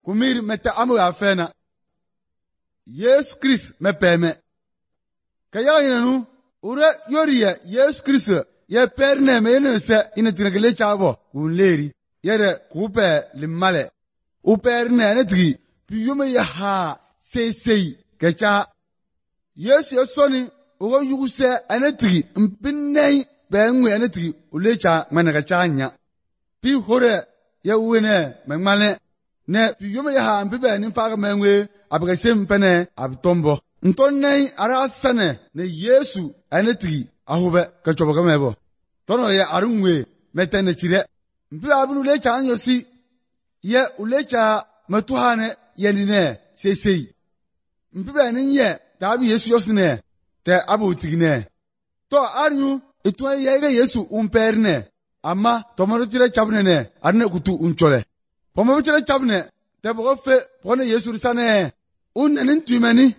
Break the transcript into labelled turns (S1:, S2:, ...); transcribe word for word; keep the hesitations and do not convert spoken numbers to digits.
S1: kumir meta amu afena Yesu Christ mepeme kaya inanu ure yoriya Yesu Christ ye perne me ne se ina tinagele chavo unleri yere kupe limale uperne ne tigi piyume ya ha sesei kecha Yesu yesoni ugo yuguse anetigi mpinei benwe anetigi ulecha manaka chanya pi hore ya wene memale ne piyume ya ha mpibe ni faga menwe abgasem pene abtombo ntonnei arasane ne Yesu anetigi ahube kachobo kamebo tono ye arunwe metene chire mpibe abunu lecha anyosi ye ulecha matuhane yenine sesei mpibe ni ye tabi Yesu yosine te abu tigine to aryu itwa yege Yesu umperne ama tomaro chire chabne ne arne kutu unchole pomo chire chabne te bofe pone Yesu risane un enin tuimeni